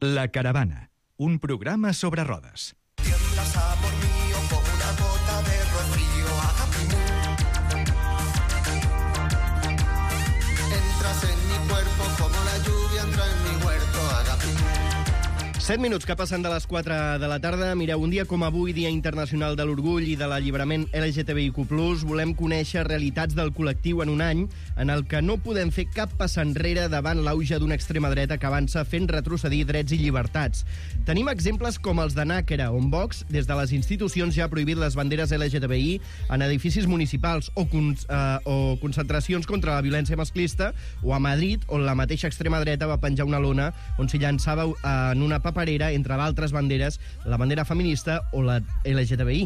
La Caravana, un programa sobre rodes. Tiemblas, amor mío, como una gota de rocío, entras en mi cuerpo como la lluvia entra en mi huerto, 7 minuts que passen de les 4 de la tarda. Mireu, un dia com avui, Dia Internacional de l'Orgull i de l'Alliberament LGTBIQ+, volem conèixer realitats del col·lectiu en un any en el que no podem fer cap pas enrere davant l'auge d'una extrema dreta que avança fent retrocedir drets i llibertats. Tenim exemples com els de Nàquera, on Vox, des de les institucions, ja ha prohibit les banderes LGTBI en edificis municipals o concentracions contra la violència masclista, o a Madrid, on la mateixa extrema dreta va penjar una lona on s'hi llançava en una paperera, entre d'altres banderes, la bandera feminista o la LGTBI.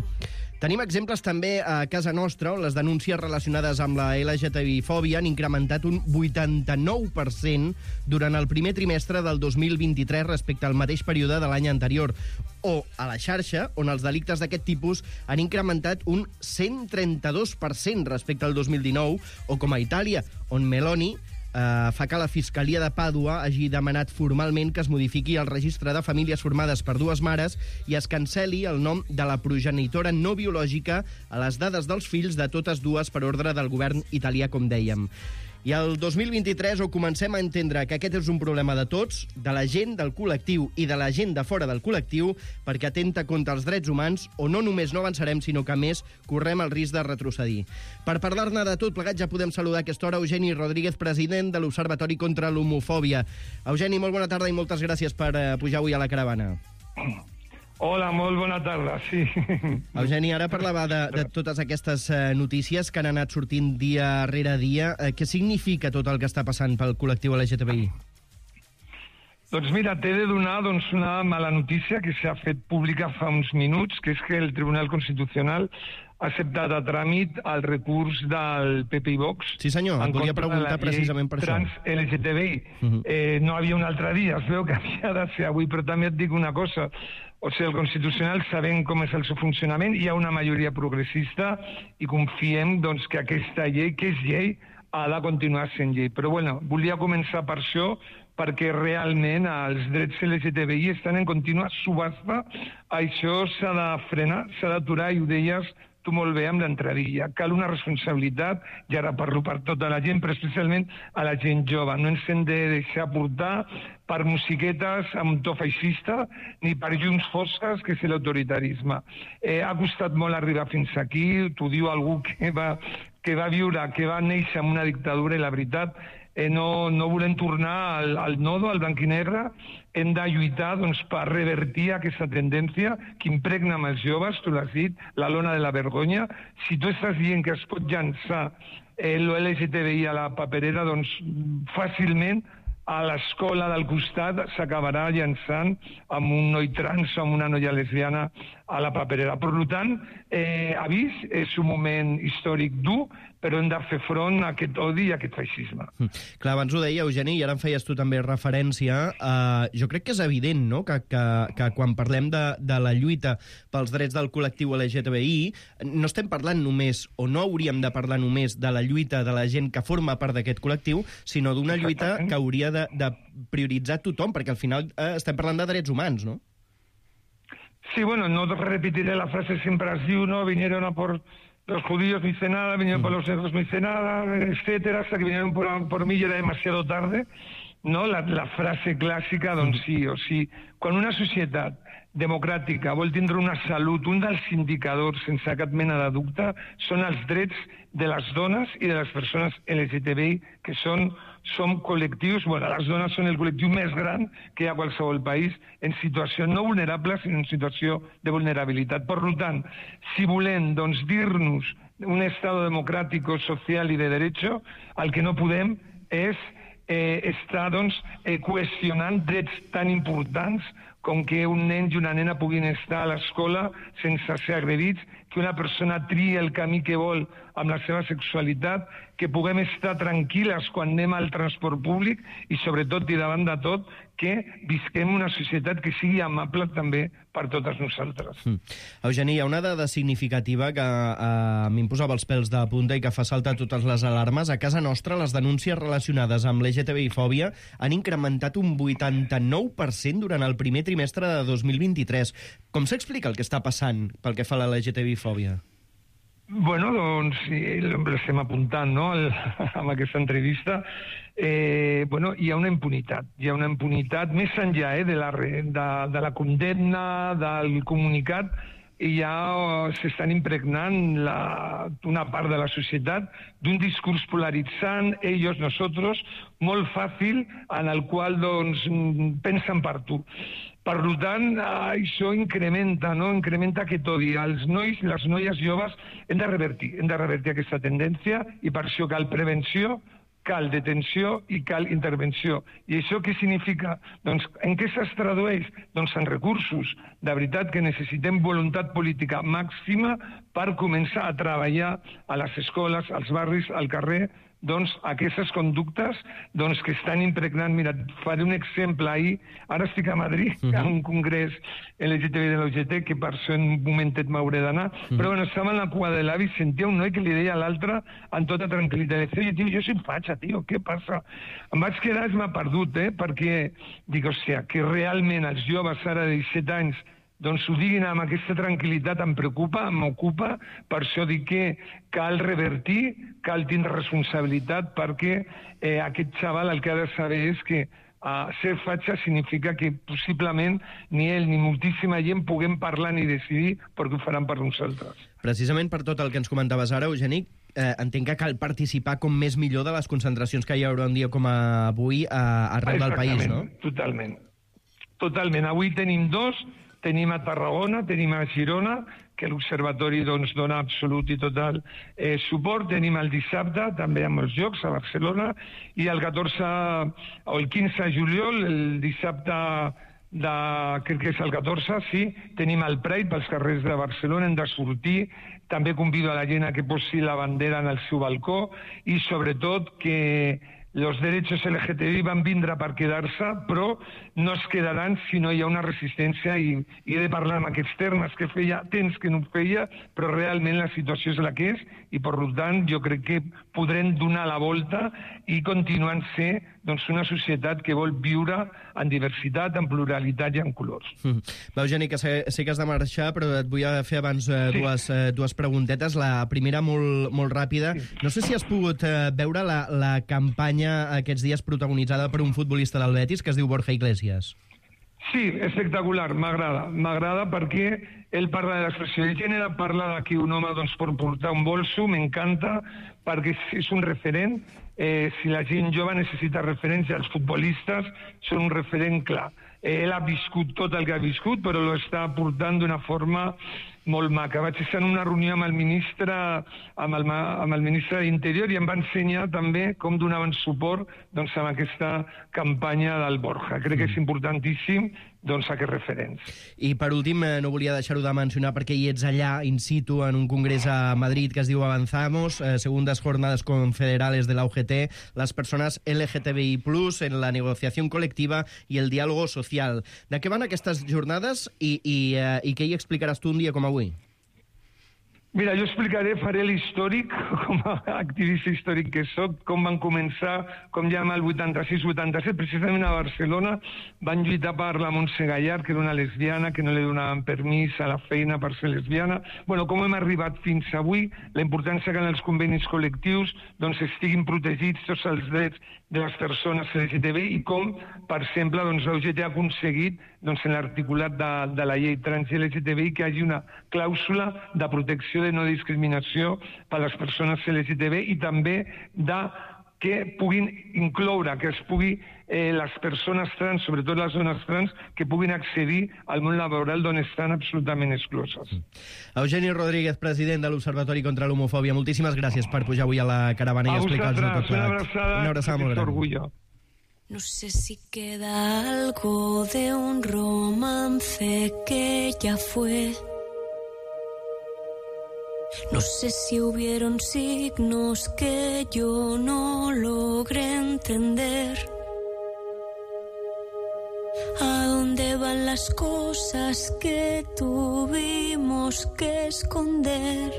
Tenim exemples també a casa nostra, on les denúncies relacionades amb la LGTBI-fòbia han incrementat un 89% durant el primer trimestre del 2023 respecte al mateix període de l'any anterior. O a la xarxa, on els delictes d'aquest tipus han incrementat un 132% respecte al 2019, o com a Itàlia, on Meloni fa que la Fiscalia de Pàdua hagi demanat formalment que es modifiqui el registre de famílies formades per dues mares i es cancel·li el nom de la progenitora no biològica a les dades dels fills de totes dues per ordre del govern italià, com dèiem. I el 2023 ho comencem a entendre que aquest és un problema de tots, de la gent, del col·lectiu i de la gent de fora del col·lectiu, perquè atenta contra els drets humans, o no només no avançarem, sinó que, a més, correm el risc de retrocedir. Per parlar-ne de tot plegat ja podem saludar a aquesta hora Eugeni Rodríguez, president de l'Observatori contra l'Homofòbia. Eugeni, molt bona tarda i moltes gràcies per pujar avui a la caravana. Hola, molt bona tarda, sí. Eugeni, ara parlava de totes aquestes notícies que han anat sortint dia rere dia. Què significa tot el que està passant pel col·lectiu LGTBI? Doncs mira, t'he de donar una mala notícia que s'ha fet pública fa uns minuts, que és que el Tribunal Constitucional ha acceptat a tràmit el recurs del PP i Vox. Sí, senyor, et volia preguntar precisament per això. Trans LGTBI. No havia un altre dia, es veu que havia de ser avui, però també et dic una cosa. O sigui, el Constitucional, sabent com és el seu funcionament, hi ha una majoria progressista i confiem doncs, que aquesta llei, que és llei, ha de continuar sent llei. Però bueno, volia començar per això, perquè realment els drets LGTBI estan en contínua subhasta. Això s'ha de frenar, s'ha d'aturar, i ho deies tu molt bé amb l'entradilla. Cal una responsabilitat, i ara parlo per tota la gent, però especialment a la gent jove. No ens hem de deixar portar per musiquetes amb to feixista ni per llums fosques, que és l'autoritarisme. Ha costat molt arribar fins aquí, t'ho diu algú que va viure, que va néixer en una dictadura, i la veritat, no volem tornar al nodo, al blanc i negre. Hem de lluitar per revertir aquesta tendència que impregna amb els joves, tu l'has dit, la lona de la vergonya. Si tu estàs dient que es pot llançar l'LGTBI a la paperera, doncs fàcilment a l'escola del costat s'acabarà llançant amb un noi trans o amb una noia lesbiana a la paperera. Per tant, avís, és un moment històric dur, però hem de fer front a aquest odi i a aquest feixisme. Clar, abans ho deia, Eugeni, i ara en feies tu també referència. Jo crec que és evident, no?, que quan parlem de la lluita pels drets del col·lectiu LGTBI, no estem parlant només, o no hauríem de parlar només, de la lluita de la gent que forma part d'aquest col·lectiu, sinó d'una lluita que hauria de prioritzar tothom, perquè al final estem parlant de drets humans, no? Sí, bueno, no repetiré la frase, siempre has dicho, ¿no? Vinieron a por los judíos, no hice nada, vinieron por los negros, no hice nada, etcétera, hasta que vinieron por mí y era demasiado tarde, no? La frase clàssica, doncs sí, o sí. Quan una societat democràtica vol tindre una salut, un dels indicadors, sense cap mena de dubte, són els drets de les dones i de les persones LGTBI, que som col·lectius, bueno, les dones són el col·lectiu més gran que hi ha a qualsevol país, en situació no vulnerable, sinó en situació de vulnerabilitat. Per tant, si volem dir-nos un estat democràtic, social i de derecho, el que no podem és estar qüestionant drets tan importants com que un nen i una nena puguin estar a l'escola sense ser agredits, que una persona triï el camí que vol amb la seva sexualitat, que puguem estar tranquil·les quan anem al transport públic i, sobretot, i davant de tot, que visquem una societat que sigui amable també per totes nosaltres. Eugeni, hi ha una dada significativa que a mi em posava els pèls de punta i que fa saltar totes les alarmes. A casa nostra, les denúncies relacionades amb l'LGTBI-fòbia han incrementat un 89% durant el primer trimestre de 2023. Com s'explica el que està passant pel que fa a la LGTBI-fòbia? Bueno, doncs l'estem apuntant, no?, amb aquesta entrevista. Bueno, hi ha una impunitat més enllà de la condemna, del comunicat, i ja s'estan impregnant una part de la societat d'un discurs polaritzant, ellos, nosotros, molt fàcil, en el qual doncs pensen per tu. Per tant, això incrementa aquest odi. Els nois i les noies joves hem de revertir aquesta tendència, i per això cal prevenció, cal detenció i cal intervenció. I això què significa? Doncs en què es tradueix? Doncs en recursos. De veritat que necessitem voluntat política màxima per començar a treballar a les escoles, als barris, al carrer, doncs aquestes conductes doncs, que estan impregnant. Mira, faré un exemple. Ahir, ara estic a Madrid, en un congrés LGTBI de l'OGT, que per això en un momentet m'hauré d'anar, però bueno, estava en la cua de l'avi, sentia un noi que li deia a l'altre amb tota tranquil·litat, deia, tio, jo soy fatxa, tio, què passa? Em vaig quedar, m'ha perdut, perquè dic, hòstia, que realment els joves ara de 17 anys doncs ho diguin amb aquesta tranquil·litat, em preocupa, m'ocupa, per això dic que cal revertir, cal tindre responsabilitat, perquè aquest xaval el que ha de saber és que ser fatxa significa que possiblement ni ell ni moltíssima gent puguem parlar ni decidir, perquè ho faran per nosaltres. Precisament per tot el que ens comentaves ara, Eugeni, entenc que cal participar com més millor de les concentracions que hi haurà un dia com avui arreu del país, no? Totalment. Avui tenim dos. Tenim a Tarragona, tenim a Girona, que l'Observatori doncs, dona absolut i total suport. Tenim el dissabte, també amb els Jocs, a Barcelona, i el 14 o el 15 de juliol, el dissabte crec que és el 14, sí, tenim el Pride pels carrers de Barcelona, hem de sortir. També convido a la gent a que posi la bandera en el seu balcó i, sobretot, que els drets LGTBI van vindre per quedar-se, però no es quedaran si no hi ha una resistència, i he de parlar en aquests termes, que feia temps que no ho feia, però realment la situació és la que és, i per tant jo crec que podrem donar la volta i continuar sent doncs, una societat que vol viure en diversitat, en pluralitat i en colors. Eugeni, que sé que has de marxar, però et vull fer abans dues preguntetes. La primera, molt ràpida. No sé si has pogut veure la campanya aquests dies protagonitzada per un futbolista del Betis que es diu Borja Iglesias. Sí, espectacular, m'agrada perquè ell parla de l'expressió de gènere, parla que un home doncs, pot portar un bolso, m'encanta, perquè és un referent. Si la gent jove necessita referència, els futbolistes són un referent clar. Ell ha viscut tot el que ha viscut, però lo està portant d'una forma molt maca. Vaig estar en una reunió amb el ministre d'Interior i em va ensenyar també com donaven suport doncs, amb aquesta campanya del Borja. Crec que és importantíssim doncs, aquests referents. I per últim, no volia deixar-ho de mencionar perquè hi ets allà, in situ, en un congrés a Madrid que es diu Avanzamos, segundas jornadas confederales de la UGT, las personas LGTBI+, en la negociación colectiva y el diálogo social. De què van aquestes jornades i què hi explicaràs tu un dia com avui? Mira, jo explicaré, faré l'històric, com a activista històric que soc, com van començar, com ja el 86-87, precisament a Barcelona, van lluitar per la Montse Gallard, que era una lesbiana, que no li donaven permís a la feina per ser lesbiana. Bueno, com hem arribat fins avui, la importància que en els convenis col·lectius doncs, estiguin protegits tots els drets de les persones LGTBI i com, per exemple, doncs, l'UGT ha aconseguit doncs, en l'articulat de la llei trans i LGTBI que hi hagi una clàusula de protecció de no discriminació per a les persones LGTBI i també que puguin incloure, que es pugui les persones trans, sobretot les dones trans, que puguin accedir al món laboral d'on estan absolutament excloses. Eugeni Rodríguez, president de l'Observatori contra l'Homofòbia, moltíssimes gràcies per pujar avui a la caravana i explicar-nos tot. Una abraçada molt gran. No sé si queda algo de un romance que ya fue. No sé si hubieron signos que yo no logré entender. ¿A dónde van las cosas que tuvimos que esconder?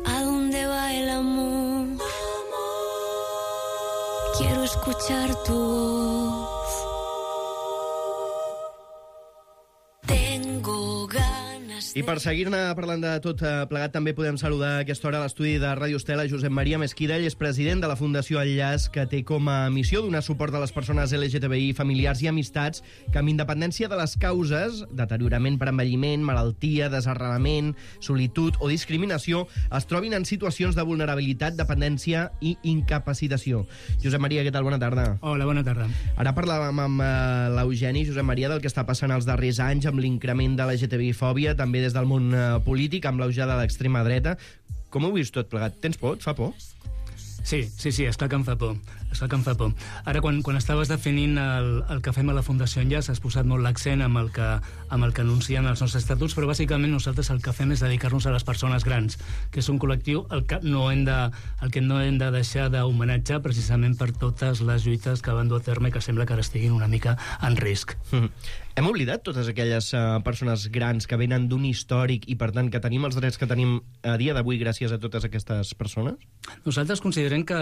¿A dónde va el amor? Quiero escuchar tu voz. Tengo ganas de... I per seguir-ne parlant de tot plegat, també podem saludar a aquesta hora a l'estudi de Ràdio Estela Josep Maria Mesquida. Ell és president de la Fundació Enllaç, que té com a missió donar suport a les persones LGTBI, familiars i amistats que, amb independència de les causes, deteriorament per envelliment, malaltia, desarrelament, solitud o discriminació, es trobin en situacions de vulnerabilitat, dependència i incapacitació. Josep Maria, què tal? Bona tarda. Hola, bona tarda. Ara parlàvem amb l'Eugeni, Josep Maria, del que està passant els darrers anys amb l'increment de la LGTBI-fòbia, també des del món polític, amb l'eujada de l'extrema dreta. Com ho vius tot plegat? Tens por? Et fa por? Sí, esclar que em fa por. Ara, quan estaves definint el que fem a la Fundació Enllaç, has posat molt l'accent amb el que anuncien els nostres estatuts, però bàsicament nosaltres el que fem és dedicar-nos a les persones grans, que és un col·lectiu el que no hem de deixar d'homenatjar precisament per totes les lluites que van dur a terme, que sembla que ara estiguin una mica en risc. Hem oblidat totes aquelles persones grans que venen d'un històric i, per tant, que tenim els drets que tenim a dia d'avui gràcies a totes aquestes persones? Nosaltres considerem que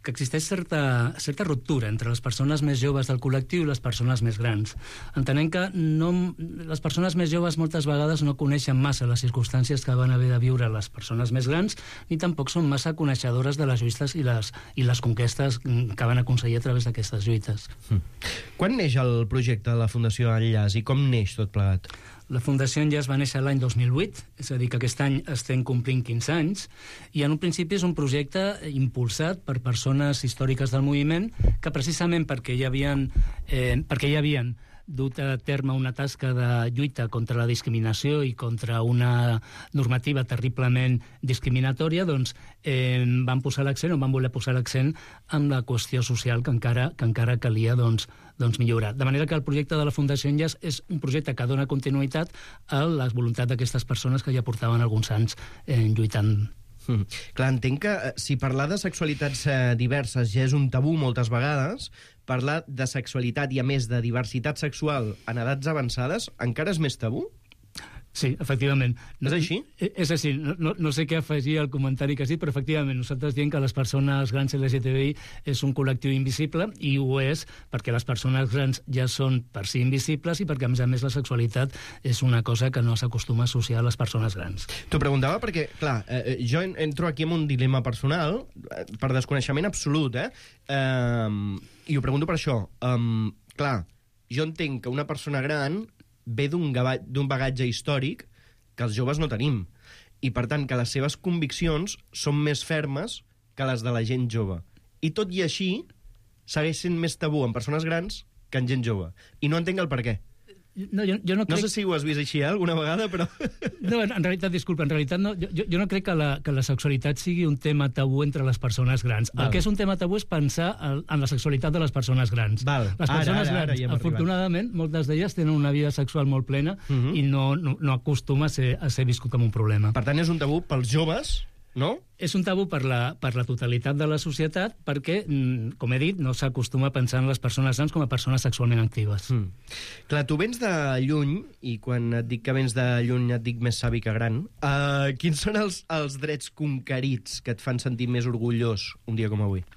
existeix certa ruptura entre les persones més joves del col·lectiu i les persones més grans. Entenem que les persones més joves moltes vegades no coneixen massa les circumstàncies que van haver de viure les persones més grans, ni tampoc són massa coneixedores de les lluites i les conquestes que van aconseguir a través d'aquestes lluites. Quan neix el projecte de la Fundació Enllaç i com neix tot plegat? La Fundació Enllaç va néixer l'any 2008, és a dir, que aquest any estem complint 15 anys, i en un principi és un projecte impulsat per persones històriques del moviment que precisament perquè ja havien dut a terme una tasca de lluita contra la discriminació i contra una normativa terriblement discriminatòria, doncs van voler posar l'accent en la qüestió social que encara calia doncs millorar. De manera que el projecte de la Fundació Enllaç és un projecte que dona continuïtat a la voluntat d'aquestes persones que ja portaven alguns anys lluitant. Clar, entenc que si parlar de sexualitats diverses ja és un tabú moltes vegades, parlar de sexualitat i, a més, de diversitat sexual en edats avançades encara és més tabú? Sí, efectivament. És així? És així. No sé què afegir al comentari que sí, però efectivament nosaltres diem que les persones grans LGTBI és un col·lectiu invisible, i ho és perquè les persones grans ja són per si invisibles i perquè, a més, la sexualitat és una cosa que no s'acostuma a associar a les persones grans. T'ho preguntava perquè, clar, jo entro aquí en un dilema personal, per desconeixement absolut, i ho pregunto per això. Clar, jo entenc que una persona gran ve d'un bagatge històric que els joves no tenim, i per tant que les seves conviccions són més fermes que les de la gent jove. I tot i així segueix sent més tabú en persones grans que en gent jove. I no entenc el per què. No, jo no crec... No sé si ho has vist així alguna vegada, però... No, en realitat, disculpa, no. Jo no crec que la sexualitat sigui un tema tabú entre les persones grans. Val. El que és un tema tabú és pensar en la sexualitat de les persones grans. Val. Les persones Ara grans, ja hem afortunadament, moltes d'elles tenen una vida sexual molt plena i no acostuma a ser viscut com un problema. Per tant, és un tabú pels joves, no? És un tabú per la totalitat de la societat perquè, com he dit, no s'acostuma a pensar en les persones grans com a persones sexualment actives. Clar, tu vens de lluny, i quan et dic que vens de lluny et dic més savi que gran. Quins són els drets conquerits que et fan sentir més orgullós un dia com avui?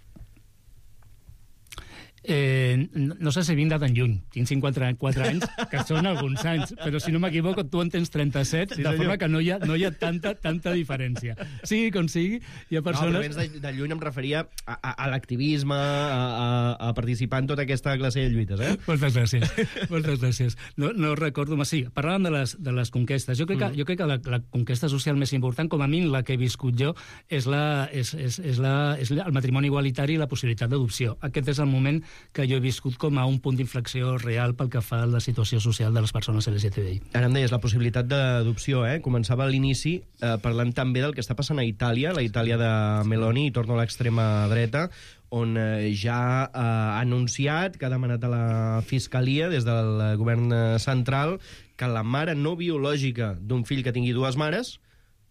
No sé si vinc de tan lluny. Tinc 54 anys, que són alguns anys, però si no m'equivoco, tu en tens 37, sí, de forma que no hi ha tanta diferència. Sigui com sigui, hi ha persones... No, però vens de lluny em referia a l'activisme, a participar en tota aquesta classe de lluites, eh? Moltes gràcies. No recordo... Sí, parlàvem de les conquestes. Jo crec que la conquesta social més important, com a mi la que he viscut jo, és el matrimoni igualitari i la possibilitat d'adopció. Aquest és el moment que jo he viscut com a un punt d'inflexió real pel que fa a la situació social de les persones LGTBI. Ara em deies la possibilitat d'adopció, Començava a l'inici parlant també del que està passant a Itàlia, la Itàlia de Meloni, i torno a l'extrema dreta, on ja ha anunciat que ha demanat a la Fiscalia, des del govern central, que la mare no biològica d'un fill que tingui dues mares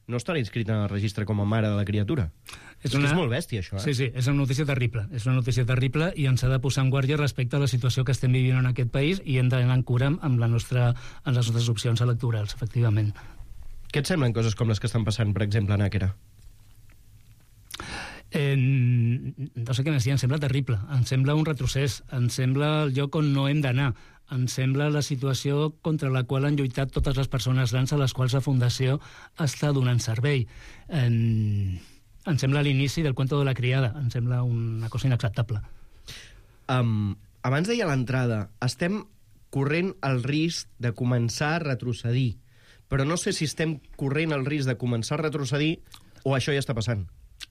no estarà inscrita en el registre com a mare de la criatura. És molt bèstia, això, Sí, és una notícia terrible. És una notícia terrible i ens ha de posar en guàrdia respecte a la situació que estem vivint en aquest país i hem d'anar en cura amb les nostres opcions electorals, efectivament. Què et semblen coses com les que estan passant, per exemple, a Nàquera? No sé què més dir, em sembla terrible. Em sembla un retrocés. Em sembla el lloc on no hem d'anar. Em sembla la situació contra la qual han lluitat totes les persones grans a les quals la Fundació està donant servei. Em sembla l'inici del cuento de la criada. Em sembla una cosa inacceptable. Abans deia a l'entrada, estem corrent el risc de començar a retrocedir, però no sé si estem corrent el risc de començar a retrocedir o això ja està passant.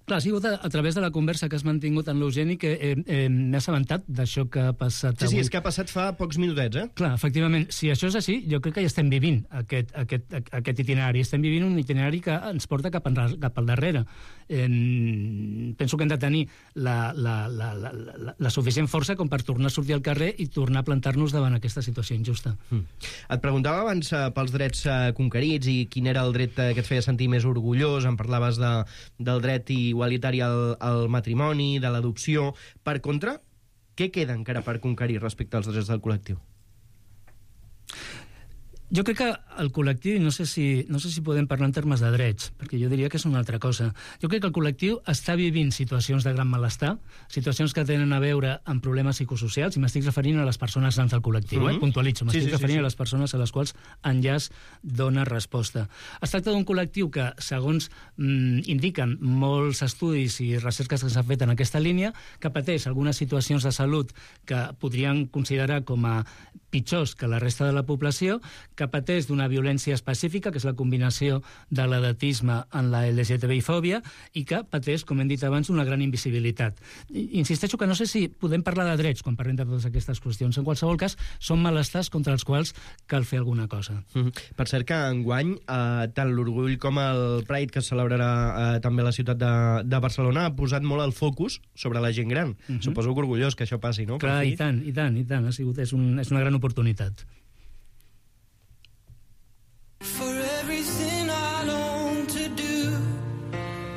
Clar, ha sigut a través de la conversa que has mantingut amb l'Eugeni que m'he assabentat d'això que ha passat avui. Sí, és que ha passat fa pocs minutets, Clar, efectivament. Si això és així, jo crec que ja estem vivint aquest itinerari. Estem vivint un itinerari que ens porta cap al darrere. Penso que hem de tenir la suficient força com per tornar a sortir al carrer i tornar a plantar-nos davant aquesta situació injusta. Et preguntava abans pels drets conquerits i quin era el dret que et feia sentir més orgullós. Em parlaves del dret igualitari al matrimoni, de l'adopció. Per contra, què queda encara per conquerir respecte als drets del col·lectiu? Jo crec que el col·lectiu, no sé si podem parlar en termes de drets, perquè jo diria que és una altra cosa. Jo crec que el col·lectiu està vivint situacions de gran malestar, situacions que tenen a veure amb problemes psicosocials, i m'estic referint a les persones grans del col·lectiu, puntualitzo, m'estic referint a les persones a les quals Enllaç dona resposta. Es tracta d'un col·lectiu que, segons indiquen molts estudis i recerques que s'han fet en aquesta línia, que pateix algunes situacions de salut que podrien considerar com a pitjors que la resta de la població, que pateix d'una violència específica, que és la combinació de l'edatisme en la LGTBI-fòbia, i que pateix, com hem dit abans, una gran invisibilitat. Insisteixo que no sé si podem parlar de drets quan parlem de totes aquestes qüestions. En qualsevol cas, són malestars contra els quals cal fer alguna cosa. Per cert que enguany, tant l'Orgull com el Pride, que es celebrarà també a la ciutat de Barcelona, ha posat molt el focus sobre la gent gran. Suposo que orgullós que això passi, no? Clar, i tant. És una gran oportunitat. For everything I long to do,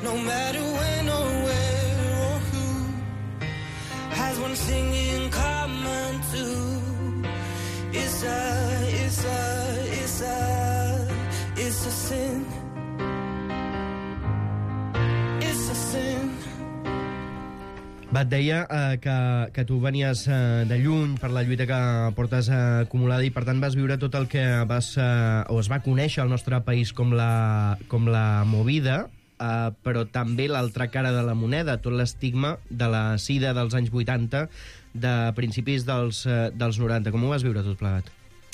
no matter when or where or who, has one thing in common too. It's a sin. It's a sin. Va, et deia que tu venies de lluny per la lluita que portes acumulada i per tant vas viure tot el que es va conèixer al nostre país com la movida, però també l'altra cara de la moneda, tot l'estigma de la sida dels anys 80, de principis dels 90. Com ho vas viure tot plegat?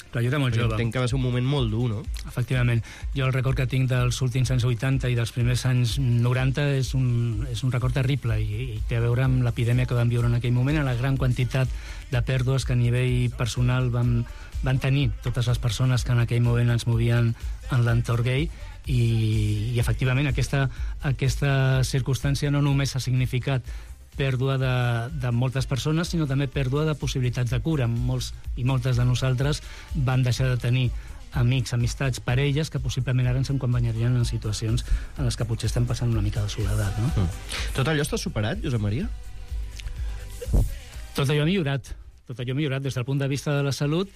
Clar, jo era molt jove. Entenc que va ser un moment molt dur, no? Efectivament. Jo el record que tinc dels últims anys 80 i dels primers anys 90 és un record terrible i té a veure amb l'epidèmia que vam viure en aquell moment, a la gran quantitat de pèrdues que a nivell personal van tenir totes les persones que en aquell moment ens movien en l'entorn gay i efectivament aquesta circumstància no només ha significat pèrdua de moltes persones, sinó també pèrdua de possibilitats de cura. Molts i moltes de nosaltres van deixar de tenir amics, amistats, parelles, que possiblement ara ens acompanyarien en situacions en les que potser estem passant una mica de soledat, no? Tot allò està superat, Josep Maria? Tot allò ha millorat. Tot allò ha millorat des del punt de vista de la salut.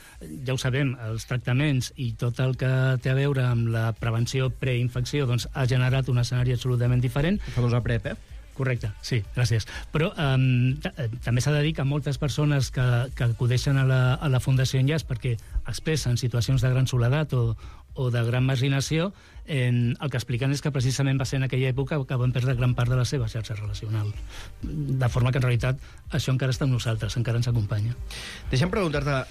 Ja ho sabem, els tractaments i tot el que té a veure amb la prevenció preinfecció doncs, ha generat un escenari absolutament diferent. La famosa PrEP, Correcte, sí, gràcies. Però també s'ha de dir que moltes persones que acudeixen a la Fundació Enllaç perquè expressen situacions de gran soledat o de gran marginació, el que expliquen és que precisament va ser en aquella època que van perdre gran part de la seva xarxa relacional. De forma que en realitat això encara està amb nosaltres, encara ens acompanya. Deixa'm preguntar-te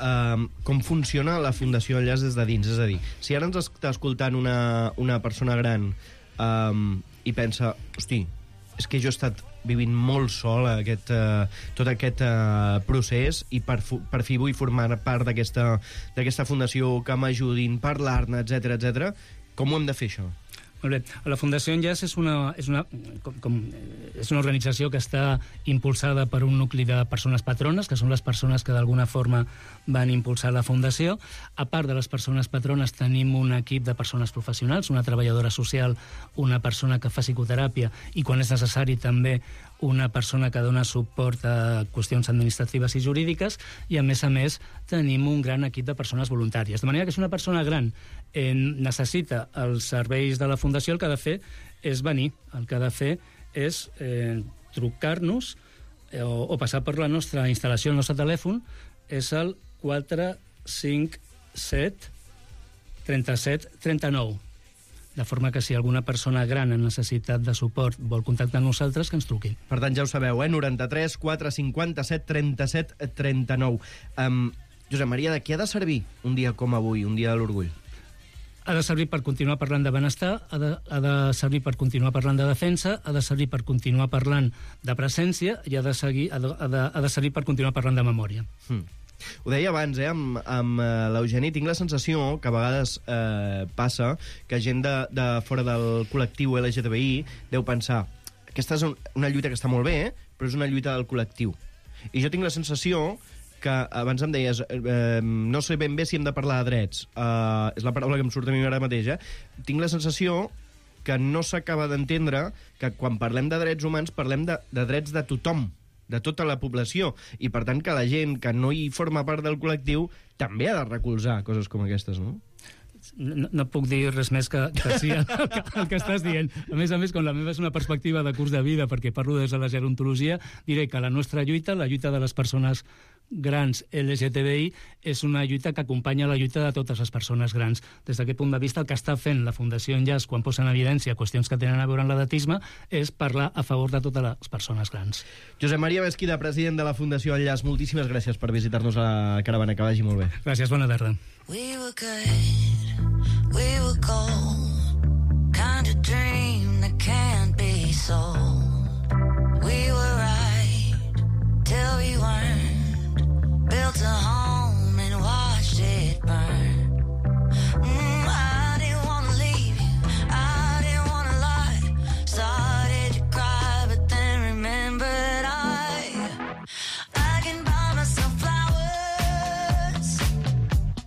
com funciona la Fundació Enllaç des de dins. És a dir, si ara ens està escoltant una persona gran i pensa, hosti, és que jo he estat vivint molt sol tot aquest procés i per fi vull formar part d'aquesta fundació, que m'ajudin, parlar-ne, etc. Com ho hem de fer, això? Molt bé. La Fundació Enllaç és una organització que està impulsada per un nucli de persones patrones, que són les persones que d'alguna forma van impulsar la Fundació. A part de les persones patrones tenim un equip de persones professionals, una treballadora social, una persona que fa psicoteràpia i, quan és necessari, també una persona que dona suport a qüestions administratives i jurídiques, i a més, tenim un gran equip de persones voluntàries. De manera que si una persona gran necessita els serveis de la Fundació, el que ha de fer és venir. El que ha de fer és trucar-nos o passar per la nostra instal·lació, el nostre telèfon, és el 457 37 39. De forma que si alguna persona gran en necessitat de suport vol contactar amb nosaltres, que ens truqui. Per tant, ja ho sabeu, 93 457 37 39. Josep Maria, de què ha de servir un dia com avui, un dia de l'orgull? Ha de servir per continuar parlant de benestar, ha de servir per continuar parlant de defensa, ha de servir per continuar parlant de presència i ha de servir per continuar parlant de memòria. Ho deia abans, amb l'Eugeni, tinc la sensació que a vegades passa que gent de fora del col·lectiu LGTBI deu pensar: aquesta és una lluita que està molt bé, però és una lluita del col·lectiu. I jo tinc la sensació que, abans em deies, no sé ben bé si hem de parlar de drets, és la paraula que em surt a mi ara mateix, tinc la sensació que no s'acaba d'entendre que quan parlem de drets humans parlem de drets de tothom, de tota la població, i per tant que la gent que no hi forma part del col·lectiu també ha de recolzar coses com aquestes, no? No puc dir res més que sí el que estàs dient. A més, com la meva és una perspectiva de curs de vida, perquè parlo des de la gerontologia, diré que la nostra lluita, la lluita de les persones grans LGTBI, és una lluita que acompanya la lluita de totes les persones grans. Des d'aquest punt de vista, el que està fent la Fundació Enllaç quan posa en evidència qüestions que tenen a veure amb l'edatisme és parlar a favor de totes les persones grans. Josep Maria Mesquida, president de la Fundació Enllaç, moltíssimes gràcies per visitar-nos a la caravana. Que vagi molt bé. Gràcies, bona tarda. We were good, we were gold, kind of dream that can't be sold. We were right till we weren't, built a home and watched it burn. I didn't want to leave you, I didn't want to lie, started to cry but then remembered I can buy myself flowers,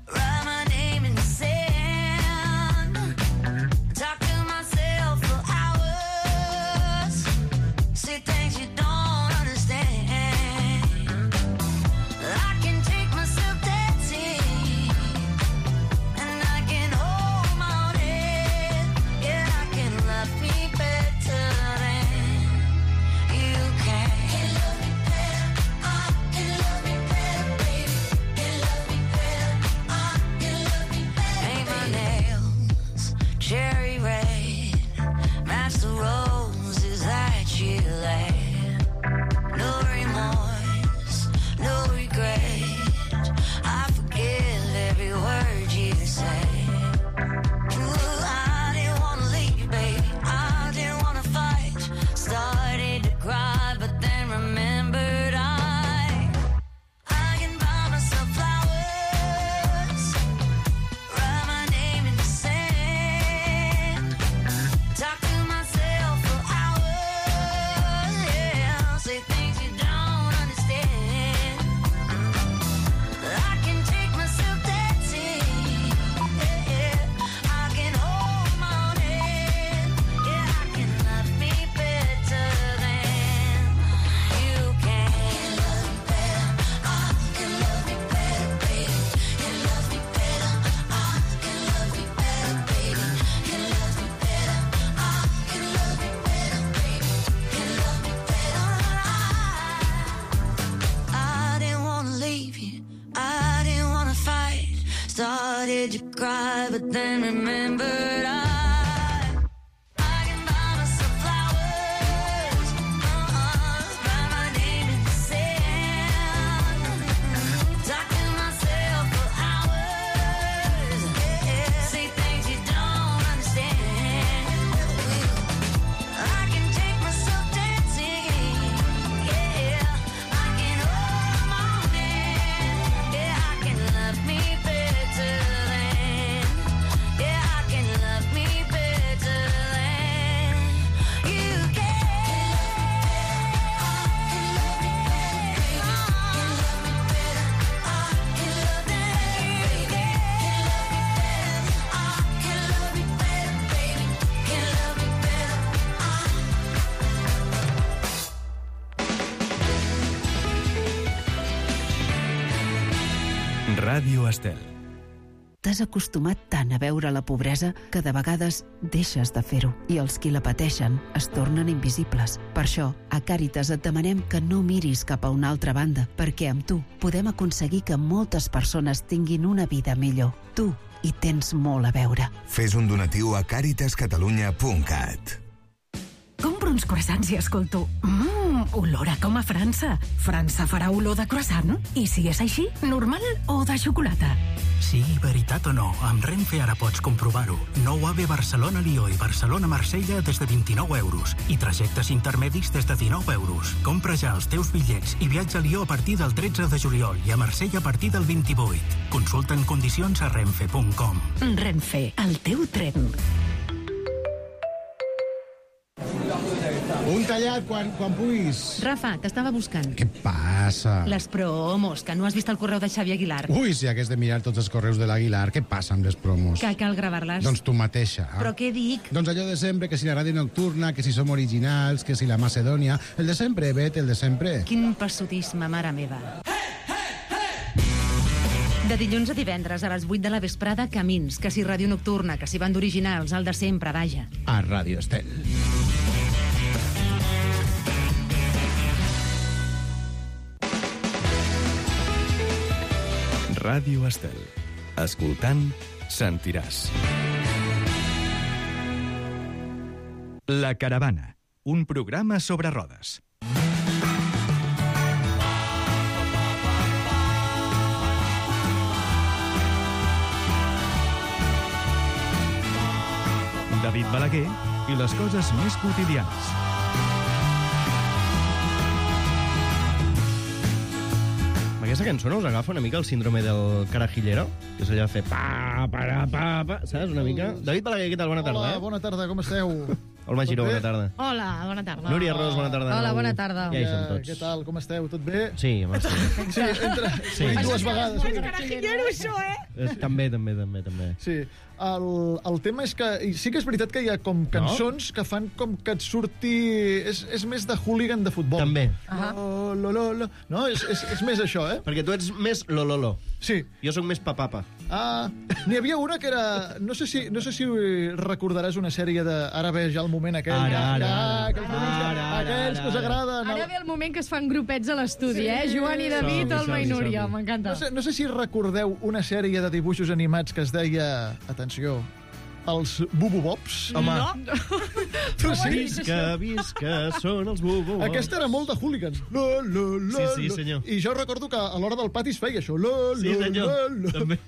write my name in the sand, talk to myself for hours, say things you don't understand. I can take myself dancing, and I can hold my own head. Yeah, I can love me better than you can. Can love me better, I can love me better, baby. Can love me better, I can love me better. Paint my nails cherry red, match the roses that you laid. No remorse, no regret, I forgive every word you say. Ooh, I didn't want to leave you, baby, I didn't want to fight, started to cry but then remembered I can buy myself flowers, write my name in the sand, talk to myself for hours, yeah, say things you don't understand. I can take myself dancing, yeah, I can hold my own head, yeah, I can love me better than you can. Can love me better, I can love me better, baby. Can love me better, I can love me better, baby. Can love me better, I can love me better, baby. Can love me better, I didn't want to leave you, I didn't want to fight, started to cry but then remembered I can buy myself flowers, write my name in the sand, talk to myself for hours, yeah, say things you don't understand. I can take myself dancing, Ràdio Estel. T'has acostumat tant a veure la pobresa que de vegades deixes de fer-ho i els qui la pateixen es tornen invisibles. Per això, a Càritas et demanem que no miris cap a una altra banda, perquè amb tu podem aconseguir que moltes persones tinguin una vida millor. Tu hi tens molt a veure. Fes un donatiu a caritascatalunya.cat. Compro uns croissants i escolto olor a com a França. França farà olor de croissant? I si és així, normal o de xocolata? Sigui veritat o no, amb Renfe ara pots comprovar-ho. Nou AVE Barcelona-Lió i Barcelona-Marsella des de 29 euros i trajectes intermedis des de 19 euros. Compra ja els teus bitllets i viatja a Lió a partir del 13 de juliol i a Marsella a partir del 28. Consulta en condicions a renfe.com. Renfe, el teu tren. Un tallat quan puguis. Rafa, t'estava buscant. Què passa? Les promos, que no has vist el correu de Xavi Aguilar. Ui, si hagués de mirar tots els correus de l'Aguilar, què passa amb les promos? Que cal gravar-les. Doncs tu mateixa. Però què dic? Doncs allò de sempre, que si la ràdio nocturna, que si som originals, que si la Macedònia... El de sempre, Bet, el de sempre. Quin passotisme, mare meva. De dilluns a divendres, a les 8 de la vesprada, Camins, que si ràdio nocturna, que si banda originals, el de sempre, vaja. A Ràdio Estel. Ràdio Estel. Escoltant, sentiràs. La Caravana, un programa sobre rodes. David Balaguer i les coses més quotidianes. Aquesta cançó no us agafa una mica el síndrome del carajillero? Que és allò de fer pa, saps, una mica? David Balaguer, què tal? Bona tarda. Hola, bona tarda, com esteu? Olma Giró, bona tarda. Hola, bona tarda. Núria Ros, bona tarda. Hola, bona tarda. Ja hi som tots. Què tal, com esteu? Tot bé? Sí, home, sí. Sí, entra. Sí. Dues vegades. Carajillero, això, També. Sí, el tema és que sí que és veritat que hi ha com cançons que fan com que et surti... És més de hooligan de futbol. També. No, és més això, Perquè tu ets més lololo. Sí. Jo sóc més papapa. N'hi havia una que era... No sé si recordaràs una sèrie de... Ara ve ja el moment aquell... Aquells que us agraden... Ara ve el moment que es fan grupets a l'estudi, Joan i David, Olma i Núria. M'encanta. No sé si recordeu una sèrie de dibuixos animats que es deia... Atenció... Els Bububobs. Home. No? Tu sí? Visca, són els Bububobs. Aquesta era molt de hooligans. Sí, senyor. I jo recordo que a l'hora del pati es feia això. Sí, senyor. També.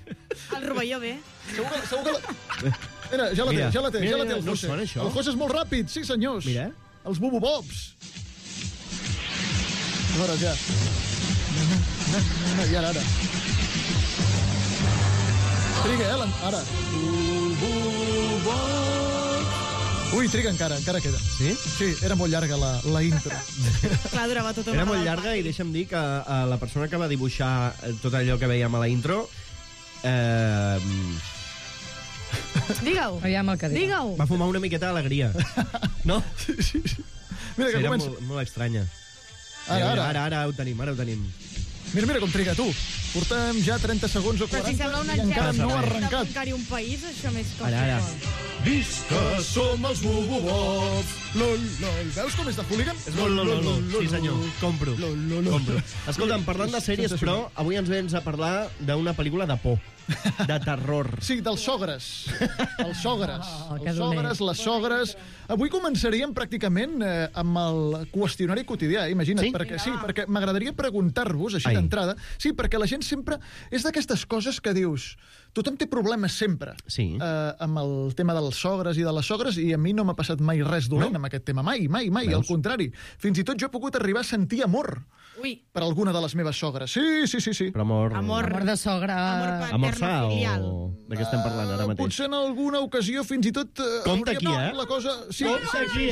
El rovelló bé. Segur que... Mira, ja la té el no José. sona, això? El José és molt ràpid, sí senyors. Mira. Els Bububobs. A veure, ja. I ara. Triga, ara. Ui, triga encara queda. Sí? Sí, era molt llarga la intro. Clar, durava tota una Era molt llarga i deixa'm dir que la persona que va dibuixar tot allò que veiem a la intro... Digue-ho. Digue-ho. Va fumar una miqueta d'alegria. No? Sí. Mira que era comença. molt estranya. Ara ho tenim. Mira com triga, tu. Portem ja 30 segons o 40 i encara no ha arrencat. Sembla un país, això més com... Ara. Visca, som els Bububobs. Veus com és de hooligan? És molt lololo. Sí, senyor. Compro. Escolta'm, parlant de sèries, però, avui ens vens a parlar d'una pel·lícula de por. De terror. Sí, dels sogres. Els sogres. Les sogres. Avui començaríem pràcticament amb el qüestionari quotidià, imagina't. Sí? Perquè m'agradaria preguntar-vos, així d'entrada, sí, perquè la gent sempre és d'aquestes coses que dius... Tothom té problemes sempre amb el tema dels sogres i de les sogres, i a mi no m'ha passat mai res dolent amb aquest tema. Mai. Al contrari. Fins i tot jo he pogut arribar a sentir amor per alguna de les meves sogres. Sí. Però Amor de sogra... Amor sa o... De què estem parlant ara mateix? Potser en alguna ocasió fins i tot... Compte aquí, La cosa... Sí, compte aquí,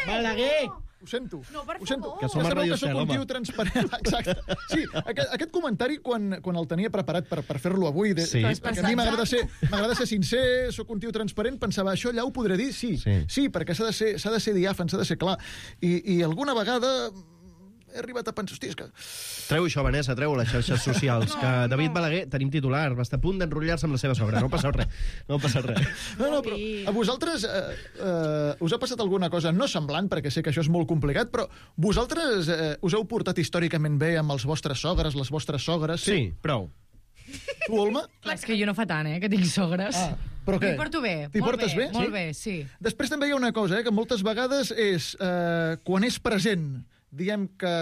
Balaguer! Ho sento. No, per favor. Que som a Ràdio Estel, home. Un tio transparent. Exacte. Sí, aquest comentari, quan el tenia preparat per fer-lo avui, perquè a mi m'agrada ser sincer, sóc un tio transparent, pensava, això allà ho podré dir? Sí, perquè s'ha de ser diàfan, s'ha de ser clar. I alguna vegada he arribat a pensar, hòstia, és que... Treu això, Vanessa, treu les xarxes socials, que David Balaguer, tenim titular, va estar a punt d'enrotllar-se amb la seva sogra. No passa res. No, però a vosaltres us ha passat alguna cosa no semblant, perquè sé que això és molt complicat, però vosaltres us heu portat històricament bé amb els vostres sogres, les vostres sogres? Sí, prou. Tu, Olma? Clar, és que jo no fa tant, que tinc sogres. Però què? M'hi porto bé. T'hi portes bé? Molt bé, sí. Després també hi ha una cosa, que moltes vegades és, quan és present, diem que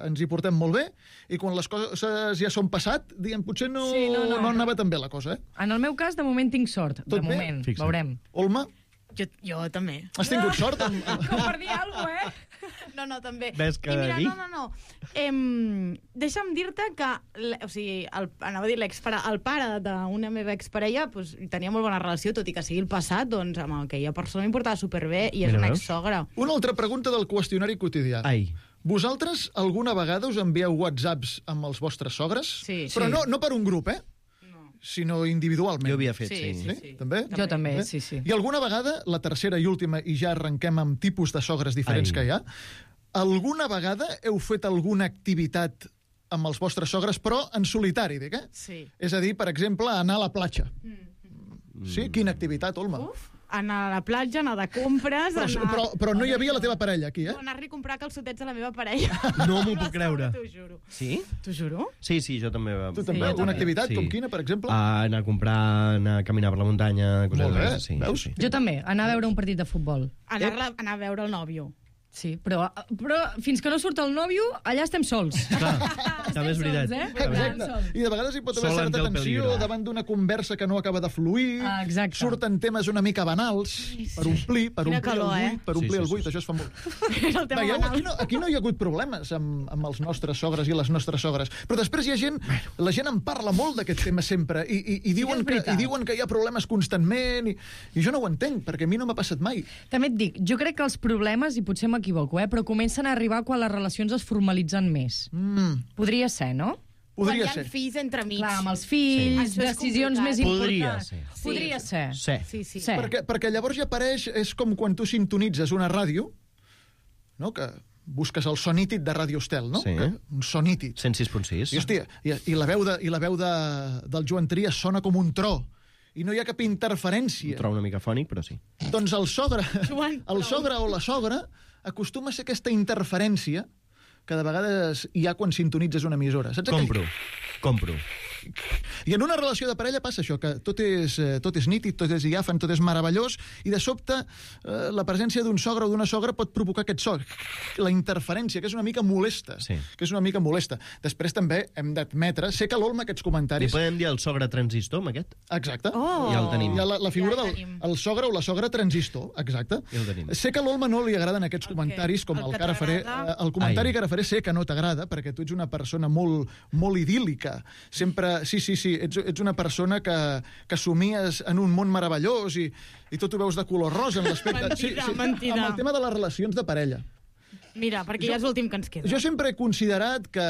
ens hi portem molt bé, i quan les coses ja són passat, diem, potser no anava tan bé la cosa, En el meu cas, de moment tinc sort. Tot de moment, bé? veurem. Olma? Jo també. Has tingut sort? Com per dir alguna cosa, No, també. Ves que I mira, dic? no. Deixa'm dir-te que, o sigui, anava a dir el pare d'una meva exparella tenia molt bona relació, tot i que sigui el passat, doncs amb aquella persona em portava superbé i és una exsogra. Una altra pregunta del qüestionari quotidià. Ai. Vosaltres alguna vegada us envieu whatsapps amb els vostres sogres? Sí. Però no per un grup, sinó individualment. Jo havia fet, sí. També? Jo també, sí. I alguna vegada, la tercera i última, i ja arrenquem amb tipus de sogres diferents que hi ha, alguna vegada heu fet alguna activitat amb els vostres sogres, però en solitari, dic, Sí. És a dir, per exemple, anar a la platja. Sí? Quina activitat, Olma? Anar a la platja, anar de compres... Però no hi havia la teva parella aquí, Anar-li a comprar calçotets a la meva parella. No m'ho puc creure. T'ho juro. Sí? T'ho juro? Sí, jo també. Tu també? Alguna activitat? Com quina, per exemple? Anar a comprar, anar a caminar per la muntanya... Molt bé, veus? Jo també, anar a veure un partit de futbol. Anar a veure el nòvio. Sí, però fins que no surt el nòvio, allà estem sols. Clar, també és veritat. Exacte. I de vegades hi pot haver certa tensió davant d'una conversa que no acaba de fluir, surten temes una mica banals, per omplir el buit, això es fa molt. Veieu, aquí no hi ha hagut problemes amb els nostres sogres i les nostres sogres, però després hi ha gent, la gent en parla molt d'aquest tema sempre, i diuen que hi ha problemes constantment, i jo no ho entenc, perquè a mi no m'ha passat mai. També et dic, jo crec que els problemes, i potser m'equivoco, però comencen a arribar quan les relacions es formalitzen més. Podria ser, no? Podria ser. Quan hi ha fills entremig. Clar, amb els fills, decisions més importants. Podria ser. Sí. Perquè llavors ja apareix, és com quan tu sintonitzes una ràdio, no?, que busques el so nítid de Ràdio Estel, no? Sí. Un so nítid. 106.6. I, hòstia, i la veu del Joan Trias sona com un tro. I no hi ha cap interferència. Un tro una mica fònic, però sí. Doncs el sogre o la sogra acostuma a ser aquesta interferència que de vegades hi ha quan sintonitzes una emissora. Saps Compro. I en una relació de parella passa això, que tot és nítid, tot és diàfan, tot és meravellós, i de sobte la presència d'un sogre o d'una sogra pot provocar aquest so, la interferència, que és una mica molesta. Després també hem d'admetre, sé que l'Olma aquests comentaris... Li podem dir el sogre transistor, amb aquest? Exacte. Ja el tenim. Hi ha la figura del sogre o la sogra transistor, exacte. Ja el tenim. Sé que a l'Olma no li agraden aquests comentaris, com el que ara faré. El comentari que ara faré sé que no t'agrada, perquè tu ets una persona molt idíl·lica. Sempre sí, ets una persona que somies en un món meravellós i tot ho veus de color rosa en l'aspecte... Mentida. Amb el tema de les relacions de parella. Mira, perquè ja és l'últim que ens queda. Jo sempre he considerat que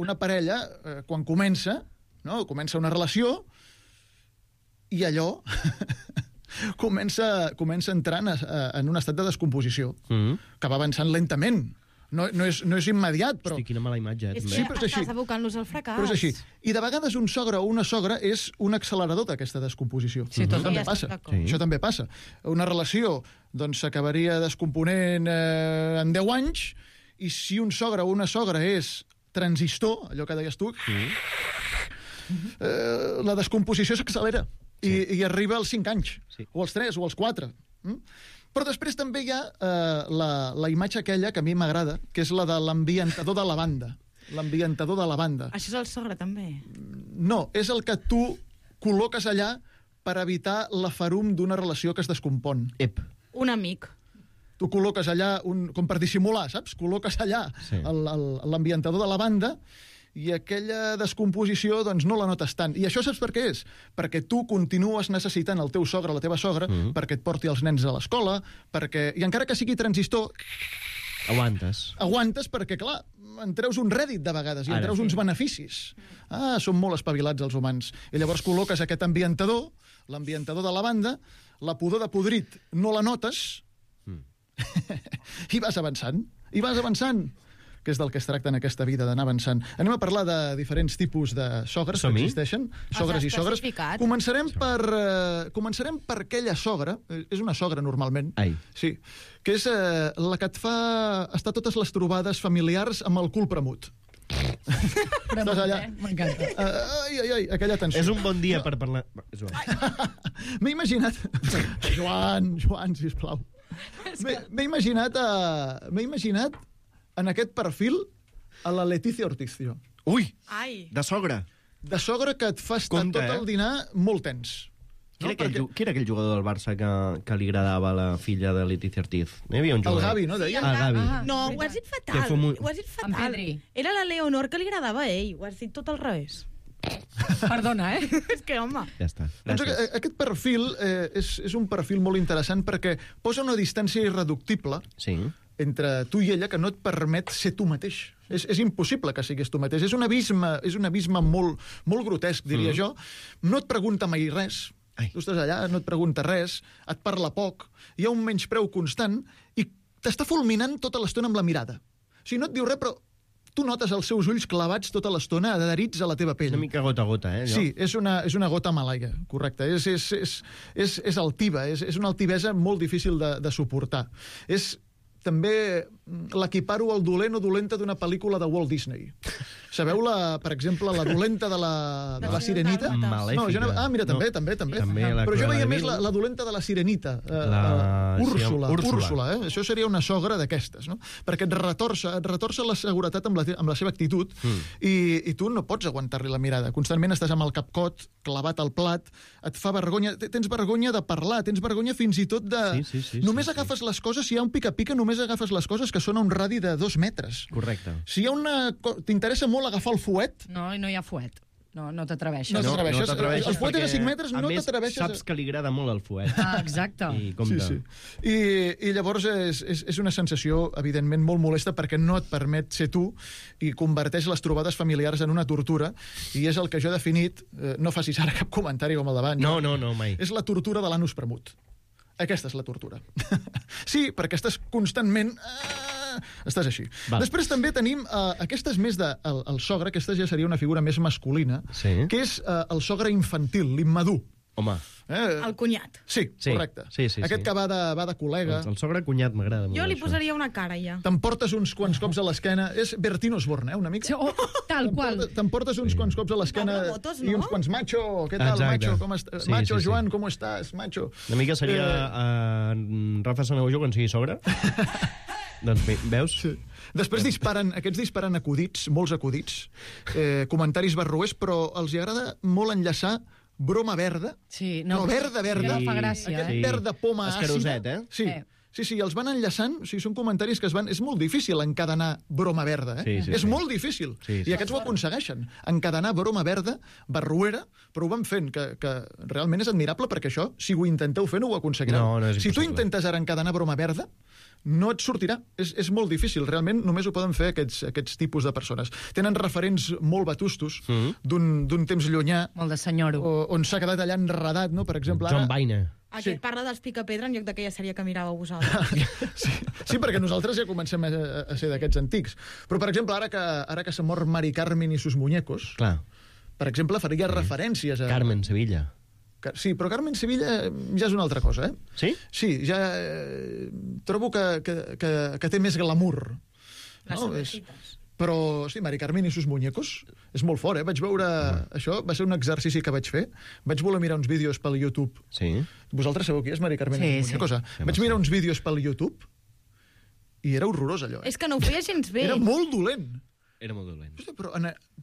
una parella, quan comença una relació, i allò comença entrant en un estat de descomposició, que va avançant lentament. No és immediat, però... Hosti, quina mala imatge. És que estàs abocant-los al fracàs. Però és així. I de vegades un sogre o una sogra és un accelerador d'aquesta descomposició. Sí, Això també passa. Això també passa. Una relació s'acabaria descomponent en 10 anys, i si un sogre o una sogra és transistor, allò que deies tu, la descomposició s'accelera i arriba als 5 anys, o als 3 o als 4. Però després també hi ha la imatge aquella que a mi m'agrada, que és la de l'ambientador de lavanda. L'ambientador de lavanda. Això és el sogre, també? No, és el que tu col·loques allà per evitar la ferum d'una relació que es descompon. Un amic. Tu col·loques allà, com per dissimular, saps? Col·loques allà l'ambientador de lavanda, i aquella descomposició doncs no la notes tant. I això saps per què és? Perquè tu continues necessitant el teu sogre o la teva sogra perquè et porti els nens a l'escola, i encara que sigui transistor... Aguantes perquè, clar, en treus un rèdit de vegades, i en treus uns beneficis. Som molt espavilats els humans. I llavors col·loques aquest ambientador, l'ambientador de lavanda, la pudor de podrit no la notes, i vas avançant. que és del que es tracta en aquesta vida, d'anar avançant. Anem a parlar de diferents tipus de sogres que existeixen, sogres i sogres. Començarem per aquella sogra, és una sogra normalment, sí, que és la que et fa estar totes les trobades familiars amb el cul premut. Estàs allà. M'encanta. Ai, aquella tensió. És un bon dia per parlar... M'he imaginat... Joan, sisplau. M'he imaginat en aquest perfil a la Leticia Ortiz. Ui! Ai! De sogra. De sogra que et fa estar tot el dinar molt tens. Qui era aquell jugador del Barça que li agradava a la filla de Leticia Ortiz? Hi havia un jugador. El Gavi, no? Deia? El Gavi. No, ho has dit fatal. Ho has dit fatal. Era la Leonor que li agradava a ell. Ho has dit tot al revés. Perdona, És que, home... Ja està. Doncs aquest perfil és un perfil molt interessant perquè posa una distància irreductible entre tu i ella que no et permet ser tu mateix. És impossible que siguis tu mateix. És un abisme molt grotesc, diria jo. No et pregunta mai res. Tu estàs allà, no et pregunta res, et parla poc, hi ha un menyspreu constant i t'està fulminant tota l'estona amb la mirada. O sigui, no et diu res, però tu notes els seus ulls clavats tota l'estona adherits a la teva pell. Una mica gota a gota, allò? Sí, és una gota malaia, correcte. És altiva, és una altivesa molt difícil de suportar. També l'equiparo al dolent o dolenta d'una pel·lícula de Walt Disney. Sabeu, per exemple, la dolenta de la Sirenita? Malèfica. Mira, també. Però jo veia més la dolenta de la Sirenita. Úrsula. Això seria una sogra d'aquestes, no? Perquè et retorça la seguretat amb la seva actitud i tu no pots aguantar-li la mirada. Constantment estàs amb el capcot clavat al plat, et fa vergonya, tens vergonya de parlar, tens vergonya fins i tot de... Només agafes les coses, si hi ha un pica-pica, només agafes les coses que són a un radi de 2 metres. Correcte. Si hi ha t'interessa molt agafar el fuet... No hi ha fuet. No t'atreveixes. No t'atreveixes. El fuet és a 5 metres, no t'atreveixes... A més, saps que li agrada molt el fuet. Exacte. I compte. I llavors és una sensació, evidentment, molt molesta perquè no et permet ser tu i converteix les trobades familiars en una tortura i és el que jo he definit, no facis ara cap comentari com el d'abans. No, mai. És la tortura de l'anus premut. Aquesta és la tortura. Sí, perquè estàs constantment... Estàs així. Després també tenim aquestes més el sogre, aquesta ja seria una figura més masculina, que és el sogre infantil, l'immadur. Home. El cunyat. Sí, correcte. Aquest que va de col·lega. El sogre cunyat m'agrada molt. Jo li posaria una cara, ja. T'emportes uns quants cops a l'esquena. És Bertín Osborne, una mica. Tal qual. T'emportes uns quants cops a l'esquena i uns quants macho. Què tal, macho? Com estàs? Macho, Joan, com estàs? Macho. Una mica seria Rafa Sanaujo quan sigui sogre. Doncs veus? Després aquests disparen acudits, molts acudits, comentaris barroers, però els agrada molt enllaçar broma verda, però verda. No fa gràcia, Aquest verd de poma àcida. Escaroset, Sí, els van enllaçant, són comentaris que es van... És molt difícil encadenar broma verda, És molt difícil. I aquests ho aconsegueixen. Encadenar broma verda, barruera, però ho van fent, que realment és admirable, perquè això, si ho intenteu fer, no ho aconseguireu. Si tu intentes ara encadenar broma verda, no et sortirà. És molt difícil. Realment només ho poden fer aquests tipus de persones. Tenen referents molt vetustos d'un temps llunyà. Molt de senyoro. On s'ha quedat allà enredat, no? Per exemple, John Baina. Aquest parla dels Picapedra en lloc d'aquella sèrie que miràveu vosaltres. Sí, perquè nosaltres ja comencem a ser d'aquests antics. Però, per exemple, ara que s'ha mort Mari Carmen i sus muñecos, per exemple, faria referències a... Carmen Sevilla. Sí, però Carmen Sevilla ja és una altra cosa, Sí? Sí, ja trobo que té més glamour. Les sobrecites. Però, sí, Mari Carmen i sus muñecos és molt fort, Vaig veure... Això va ser un exercici que vaig fer. Vaig voler mirar uns vídeos pel YouTube. Sí. Vosaltres sabeu qui és Mari Carmen i sus muñecos? Vaig mirar uns vídeos pel YouTube i era horrorós, allò. És que no ho feia gens bé. Era molt dolent. Era molt dolent.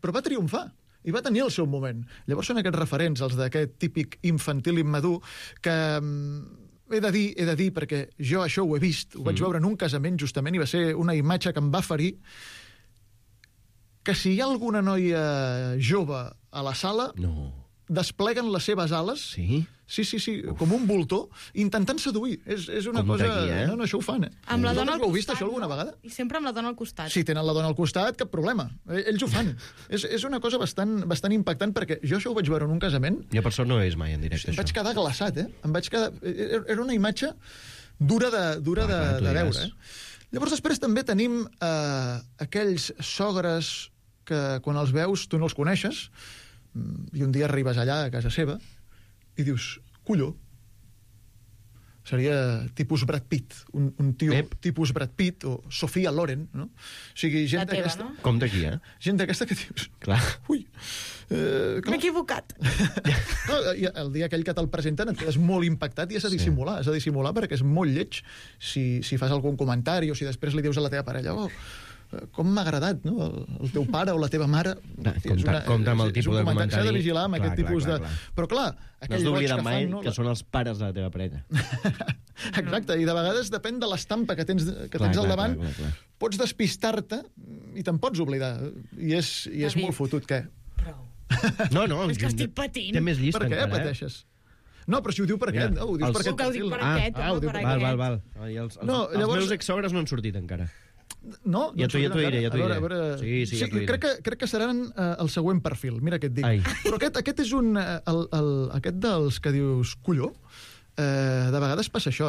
Però va triomfar. I va tenir el seu moment. Llavors són aquests referents, els d'aquest típic infantil immadur, que he de dir, perquè jo això ho he vist, ho vaig veure en un casament, justament, i va ser una imatge que em va ferir, que si hi ha alguna noia jove a la sala, despleguen les seves ales, sí, com un voltor, intentant seduir. És una cosa... No, això ho fan, Amb la dona al costat, heu vist això alguna vegada? I sempre amb la dona al costat. Si tenen la dona al costat, cap problema. Ells ho fan. És una cosa bastant impactant, perquè jo això ho vaig veure en un casament... Jo per sort no ho he vist mai en directe, això. Em vaig quedar glaçat, Em vaig quedar... Era una imatge dura de veure, Llavors després també tenim aquells sogres que quan els veus tu no els coneixes i un dia arribes allà a casa seva i dius, colló, seria tipus Brad Pitt, un tio tipus Brad Pitt o Sofia Loren, no? O sigui, gent d'aquesta... No? Com d'aquí, Gent d'aquesta que dius... Clar. Ui, m'he equivocat. No, el dia aquell que te'l presenten et quedes molt impactat i has de dissimular perquè és molt lleig si fas algun comentari o si després li dius a la teva parella com m'ha agradat, no? El teu pare o la teva mare... Compte amb el tipus de comentari. S'ha de vigilar amb aquest tipus de... Però clar, no has d'oblidar mai que són els pares de la teva parella. Exacte, i de vegades depèn de l'estampa que tens al davant. Pots despistar-te i te'n pots oblidar. I és molt fotut, què? No, és que estic patint. Té més llista encara. Per què pateixes? No, però si ho diu per aquest, no? Ho dius per aquest. Ho dic per aquest. Val. Els meus exsogres no han sortit encara. No? Ja t'ho diré. A veure... Sí, crec que seran el següent perfil. Mira què et dic. Però aquest és un... Aquest dels que dius, colló, de vegades passa això,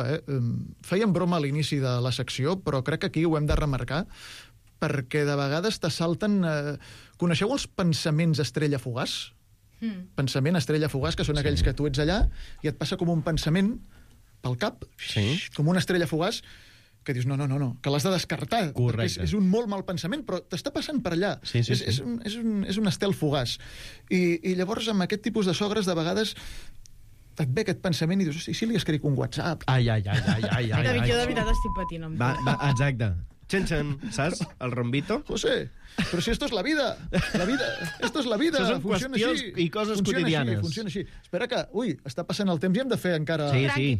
Fèiem broma a l'inici de la secció, però crec que aquí ho hem de remarcar, perquè de vegades t'assalten... Coneixeu els pensaments estrella fugaç? Pensament estrella fugaç, que són aquells que tu ets allà i et passa com un pensament pel cap, com una estrella fugaç, que dius, no, que l'has de descartar. És un molt mal pensament, però t'està passant per allà. És un estel fugaç. I llavors, amb aquest tipus de sogres, de vegades et ve aquest pensament i dius, i si li escric un WhatsApp? Ai. David, jo de veritat estic patint amb tu. Va, exacte. Chen, saps? El rombito. José, però si esto es la vida. Esto es la vida. Això són qüestions i coses quotidianes. Funciona així. Espera que, està passant el temps i hem de fer encara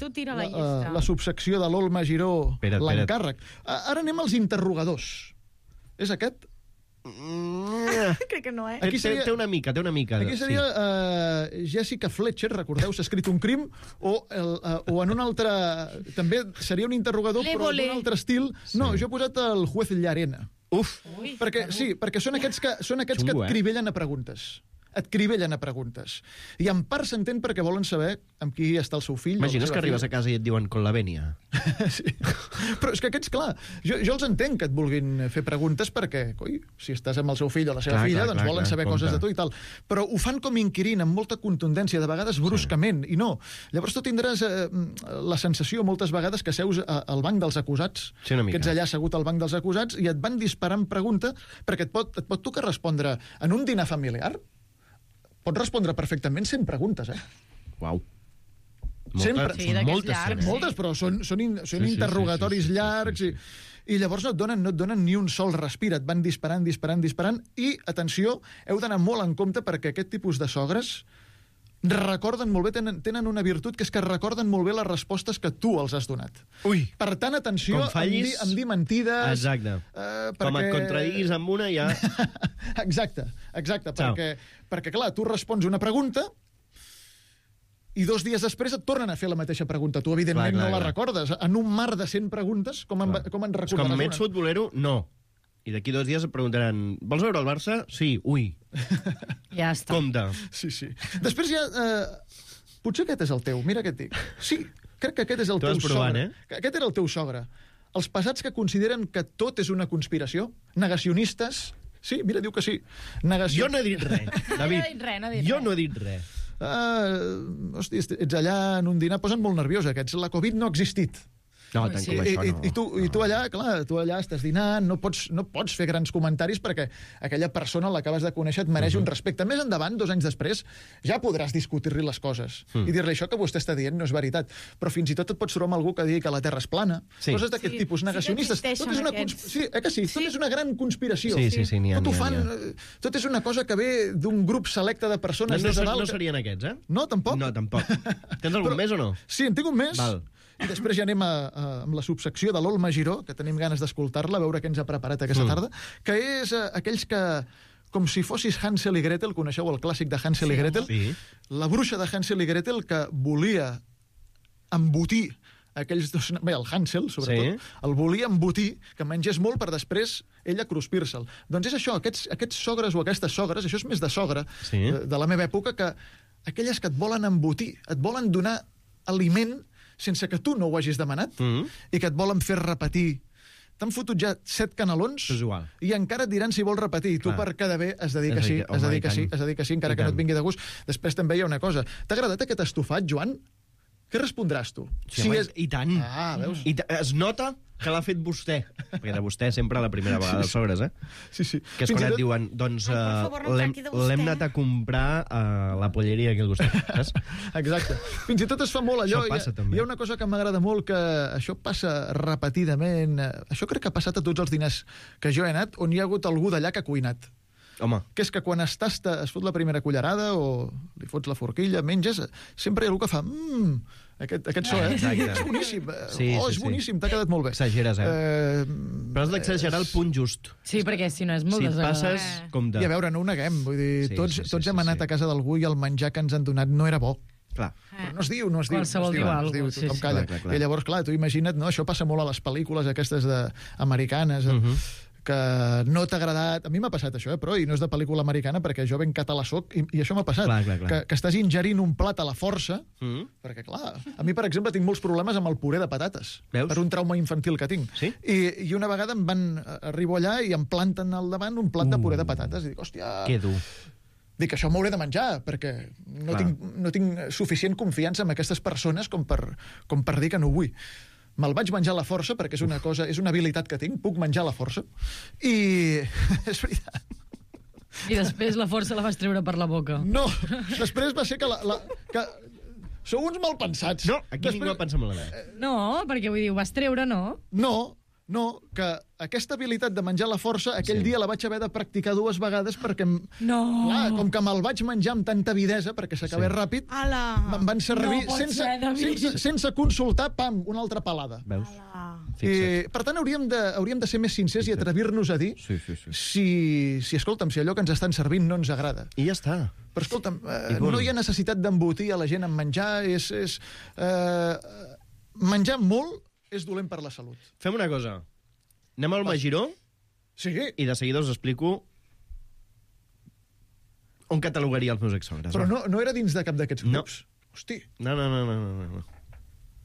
tu tira la llista. La subsecció de l'Olma Giró, l'encàrrec. Ara anem als interrogadors. És aquest? Crec que no, Aquí té una mica. Aquí seria Jessica Fletcher, recordeu, s'ha escrit un crim, o en un altre... També seria un interrogador, però d'un altre estil. No, jo he posat el juez Llarena. Perquè són aquests que et cribellen a preguntes. I en part s'entén perquè volen saber amb qui està el seu fill. Imagines que arribes a casa i et diuen con la venia. Sí. Però és que aquests, clar, jo els entenc que et vulguin fer preguntes perquè, si estàs amb el seu fill o la seva filla, doncs volen saber coses de tu i tal. Però ho fan com inquirint, amb molta contundència, de vegades bruscament, i no. Llavors tu tindràs la sensació moltes vegades que seus al banc dels acusats, que ets allà assegut al banc dels acusats i et van disparant pregunta perquè et pot tocar respondre en un dinar familiar. Pots respondre perfectament 100 preguntes, Uau. Moltes, però són interrogatoris llargs i llavors no et donen ni un sol respir, et van disparant i, atenció, heu d'anar molt en compte perquè aquest tipus de sogres recorden molt bé, tenen una virtut que és que recorden molt bé les respostes que tu els has donat. Per tant, atenció, em dir mentides... Exacte. Com et contradiguis amb una, ja... Exacte, perquè, clar, tu respons una pregunta i 2 dies després et tornen a fer la mateixa pregunta. Tu, evidentment, no la recordes. En un mar de 100 preguntes, com en recordaràs una? Com ets futbolero, no. I d'aquí 2 dies et preguntaran, vols veure el Barça? Sí, Ja està. Compte. Sí. Després ja... Potser aquest és el teu, mira què et dic. Sí, crec que aquest és el teu sogre. Aquest era el teu sogre. Els pesats que consideren que tot és una conspiració, negacionistes... Sí, mira, diu que sí. Jo no he dit res, David. Jo no he dit res. Hosti, ets allà en un dinar, posen molt nerviós aquests. La Covid no ha existit. No, tant com això no. I tu allà, clar, estàs dinant, no pots fer grans comentaris perquè aquella persona l'acabes de conèixer et mereix un respecte. Més endavant, 2 anys després, ja podràs discutir-li les coses i dir-li això que vostè està dient no és veritat. Però fins i tot et pots trobar amb algú que digui que la Terra és plana. Coses d'aquest tipus, negacionistes. Tot és una gran conspiració. Tot és una cosa que ve d'un grup selecte de persones. No serien aquests, No, tampoc. Tens algun més o no? Sí, en tinc un més. Val. I després ja anem amb la subsecció de l'Olma Giró, que tenim ganes d'escoltar-la, a veure què ens ha preparat aquesta tarda, que és aquells que, com si fossis Hansel i Gretel, coneixeu el clàssic de Hansel i Gretel? Sí. La bruixa de Hansel i Gretel que volia embotir aquells dos... Bé, el Hansel, sobretot, el volia embotir, que mengés molt per després ella cruspir-se'l. Doncs és això, aquests sogres o aquestes sogres, això és més de sogra, de la meva època, que aquelles que et volen embotir, et volen donar aliment sense que tu no ho hagis demanat i que et volen fer repetir t'han fotut ja 7 canelons És igual. i encara et diran si vols repetir. Tu per quedar bé has de dir que sí, encara que no et vingui de gust. Després també hi ha una cosa. T'ha agradat aquest estofat, Joan? Què respondràs tu? Sí, home, i tant. Veus? Es nota que l'ha fet vostè. Perquè de vostè sempre la primera vegada dels sogres, eh? Sí. Que és quan et diuen, doncs, l'hem anat a comprar a la polleria aquí al costat, saps? Exacte. Fins i tot es fa molt allò. Això passa, també. Hi ha una cosa que m'agrada molt, que això passa repetidament. Això crec que ha passat a tots els diners que jo he anat, on hi ha hagut algú d'allà que ha cuinat. Home. Que és que quan es fot la primera cullerada o li fots la forquilla, menges, sempre hi ha algú que fa aquest so, és boníssim. És boníssim, t'ha quedat molt bé. Exageres, però has d'exagerar el punt just. Sí, perquè si no és molt desagradable. Passes, compte. I a veure, no ho neguem, vull dir, tots hem anat a casa d'algú i el menjar que ens han donat no era bo. Clar. Però no es diu. Qualsevol diu alguna cosa. Tothom calla. I llavors, clar, tu imagina't, no? Això passa molt a les pel·lícules aquestes americanes, que no t'ha agradat... A mi m'ha passat això, però, i no és de pel·lícula americana, perquè jo ben català soc, i això m'ha passat. Clar. Que estàs ingerint un plat a la força, perquè, clar, a mi, per exemple, tinc molts problemes amb el puré de patates. Veus? Per un trauma infantil que tinc. Sí? I una vegada arribo allà i em planten al davant un plat de puré de patates, i dic, hòstia... Que dur. Dic, això m'hauré de menjar, perquè no tinc suficient confiança en aquestes persones com per dir que no ho vull. Me'l vaig menjar a la força, perquè és una habilitat que tinc, puc menjar a la força, i és veritat. I després la força la vas treure per la boca. No, després va ser que sou uns malpensats. No, aquí ningú va pensar malament. No, perquè vull dir, ho vas treure, no? No, que aquesta habilitat de menjar a la força, aquell dia la vaig haver de practicar 2 vegades perquè, clar, com que me'l vaig menjar amb tanta avidesa, perquè s'acabés ràpid, me'n van servir sense consultar, pam, una altra palada. Veus? Per tant, hauríem de ser més sincers i atrevir-nos a dir si, escolta'm, si allò que ens estan servint no ens agrada. I ja està. Però, escolta'm, no hi ha necessitat d'embotir a la gent en menjar, menjar molt és dolent per la salut. Fem una cosa. Anem al Magiró i de seguida us explico on catalogaria els meus exsogres. Però no era dins de cap d'aquests grups? Hosti. No.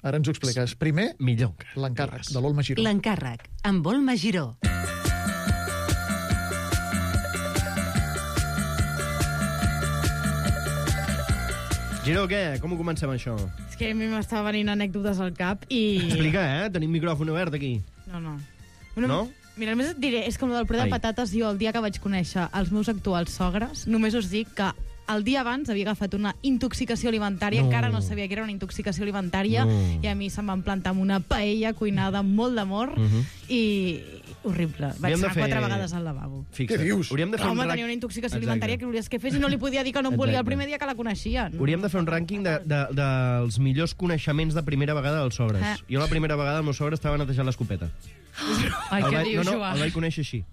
Ara ens ho expliques. Primer, l'encàrrec de l'Ol Magiró. L'encàrrec, amb Ol Magiró. Giró, què? Com ho comencem, això? És que a mi m'estava venint anècdotes al cap i... Explica, tenim micròfon obert aquí. No. No? Mira, només et diré, és com el del puré de patates, jo el dia que vaig conèixer els meus actuals sogres, només us dic que el dia abans havia agafat una intoxicació alimentària, encara no sabia que era una intoxicació alimentària, i a mi se'm van plantar amb una paella cuinada amb molt d'amor, i horrible. Vaig anar 4 vegades al lavabo. Què dius? Home, tenia una intoxicació alimentària que volies que fes i no li podia dir que no em volia el primer dia que la coneixia. Hauríem de fer un rànquing dels millors coneixements de primera vegada dels sogres. Jo la primera vegada el meu sogre estava netejant l'escopeta. Ai, què dius, Joan? El vaig conèixer així.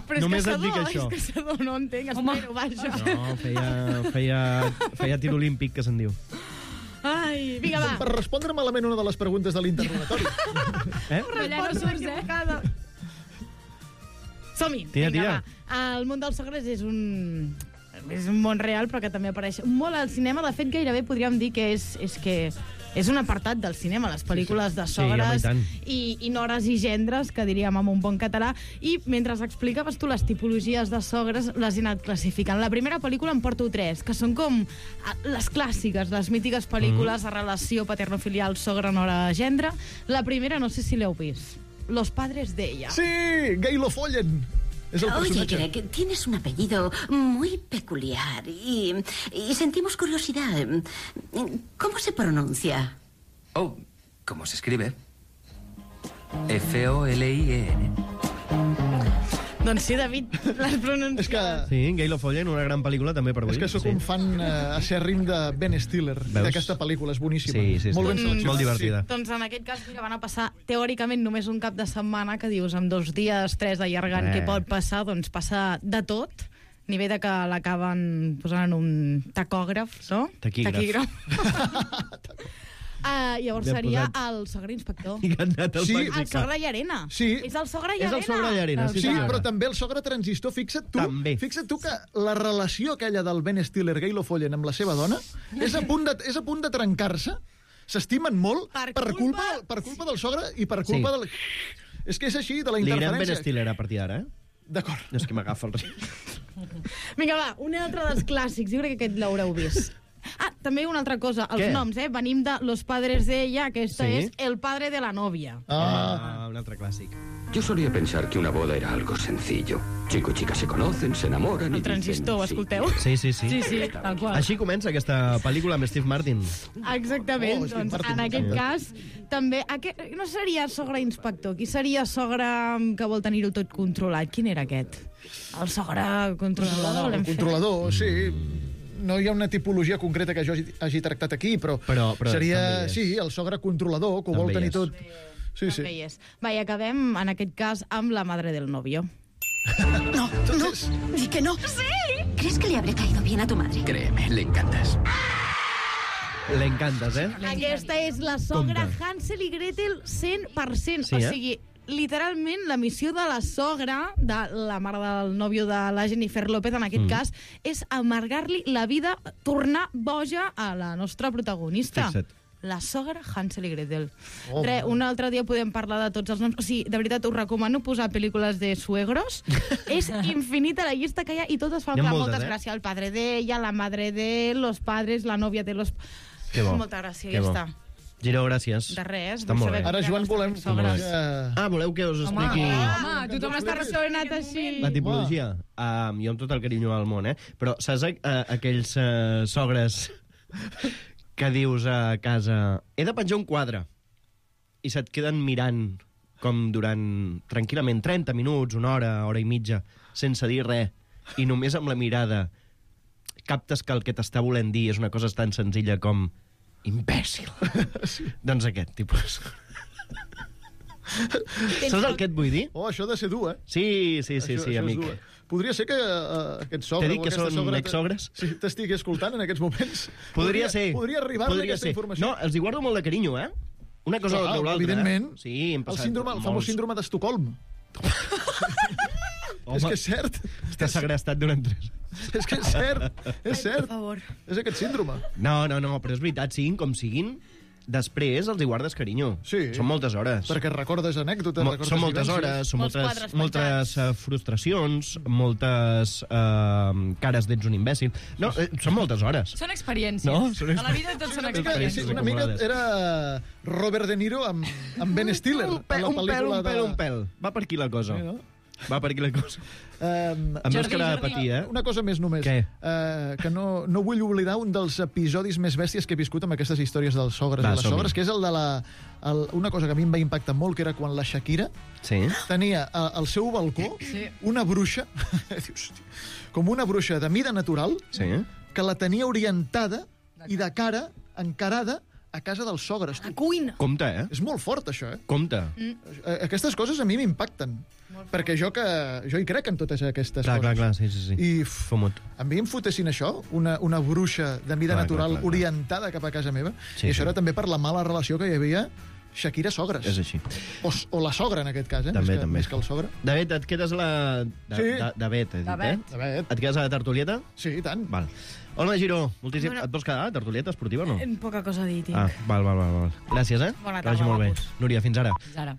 Però només et dic això. És caçador, no entenc, espero, vaja. No, feia tir olímpic, que se'n diu. Ai, vinga, va. Per respondre malament una de les preguntes de l'interrogatori. Allà no surts, Som-hi, vinga, va. El món dels sogres és un món real, però que també apareix molt al cinema. De fet, gairebé podríem dir que és un apartat del cinema, les pel·lícules de sogres i nores i gendres, que diríem en un bon català. I mentre explicaves tu les tipologies de sogres, les he anat classificant. La primera pel·lícula en porto 3, que són com les clàssiques, les mítiques pel·lícules de relació paternofilial sogre-nora-gendre. La primera, no sé si l'heu vist, Los padres de ella. Sí, Gail Follen. Oye, Greg, tienes un apellido muy peculiar y sentimos curiosidad. ¿Cómo se pronuncia? Oh, ¿cómo se escribe? F-O-L-I-E-N. Doncs sí, David, les pronuncies. Sí, Gail Follen, una gran pel·lícula també per avui. És que sóc un fan acèrrim de Ben Stiller, d'aquesta pel·lícula, és boníssima. Sí. Molt ben seleccionada. Molt divertida. Doncs en aquest cas van a passar teòricament només un cap de setmana, que dius amb 2 dies, 3 d'allargant, què pot passar? Doncs passa de tot. Nivell de que l'acaben posant en un tacògraf, no? Taquígraf. Llavors seria el sogre inspector. El sogre Llarena. Sí. És el sogre Llarena. És el sogre Llarena, sí, però també el sogre transistor. Fixa't tu que la relació aquella del Ben Stiller, Gail Follen, amb la seva dona és a punt de trencar-se. S'estimen molt per culpa del sogre i per culpa del... És que és així, de la Li direm interferència. Ben Stiller a partir d'ara, D'acord. No és que m'agafa el risc. Vinga, va, un altre dels clàssics. Jo crec que aquest l'haureu vist. També una altra cosa, els noms, Venim de Los padres de ella, aquesta és El padre de la novia. Un altre clàssic. Yo solía pensar que una boda era algo sencillo. Chico y chica se conocen, se enamoran y El transistor, ho escolteu? Sí. Sí, tal qual. Així comença aquesta pel·lícula amb Steve Martin. Exactament, doncs en aquest cas també... No seria sogre inspector, qui seria sogre que vol tenir-ho tot controlat? Quin era aquest? El sogre controlador? El controlador, sí. No hi ha una tipologia concreta que jo hagi tractat aquí, però seria, sí, el sogre controlador, que ho vol tenir tot. Sí. Va, i acabem, en aquest cas, amb la madre del novio. No, di que no. ¡Sí! ¿Crees que le habré caído bien a tu madre? Créeme, le encantas. Le encantes, Aquesta és la sogra Hansel i Gretel 100%. Sí, o sigui, literalment, la missió de la sogra, de la mare del nòvio de la Jennifer López, en aquest cas, és amargar-li la vida, tornar boja a la nostra protagonista. Fixa't. La sogra Hansel i Gretel. Un altre dia podem parlar de tots els noms. O sigui, de veritat, us recomano posar pel·lícules de suegros. És infinita la llista que hi ha i totes fan moltes gràcies. El padre de ella, la madre de los padres, la novia de los... Que bo. Molta gràcia, ja està. Giró, gràcies. De res. Està molt bé. Ara, Joan, volem... voleu que us expliqui... Home, tothom està resonat així. La tipologia. Jo amb tot el carinyo al món, però saps aquells sogres que dius a casa he de penjar un quadre i se't queden mirant com durant tranquil·lament 30 minuts, una hora, hora i mitja, sense dir res, i només amb la mirada captes que el que t'està volent dir és una cosa tan senzilla com imbècil. Doncs aquest tipus. Saps el que et vull dir? Això ha de ser dur, Sí, amic. Podria ser que aquest sogre... T'he dit que són exsogres? Sí, t'estigui escoltant en aquests moments. Podria ser. Podria arribar-li aquesta informació. No, els hi guardo molt de carinyo, Una cosa o l'altra. Evidentment. Sí, hem passat el famós síndrome d'Estocolm. És que és cert. Està segrestat durant 3. És que és cert. És cert. Per favor. És aquest síndrome. No, però és veritat, siguin com siguin, després els hi guardes carinyo. Sí. Són moltes hores. Perquè recordes anècdotes, recordes són moltes hores, són moltes frustracions, moltes cares d'ets un imbècil. No, són moltes hores. Són experiències. No? A la vida tot són experiències. Una mica era Robert De Niro amb Ben Stiller. Un pèl. Va per aquí la cosa. Va per aquí la cosa. Amb màscara de patir, Una cosa més només. Què? Que no vull oblidar un dels episodis més bèsties que he viscut amb aquestes històries dels sogres i les sogres, que és el de una cosa que a mi em va impactar molt, que era quan la Shakira tenia al seu balcó una bruixa, com una bruixa de mida natural, que la tenia orientada i de cara, encarada, a casa dels sogres. A cuina. Compte, És molt fort, això, Compte. Aquestes coses a mi m'impacten. Perquè jo hi crec en totes aquestes coses. Clar, sí. I a mi em fotessin això, una bruixa de mida natural orientada cap a casa meva, i això era també per la mala relació que hi havia Shakira-sogres. És així. O la sogra, en aquest cas, també. Més que el sogre. David, et quedes a la... David, Et quedes a la tertulieta? Sí, i tant. Val. Hola, Giró. Et vols quedar a la tertulieta esportiva o no? Poca cosa a dir, tinc. Val. Gràcies, Bona tarda, que vagi molt bé. Núria, fins ara. Fins ara.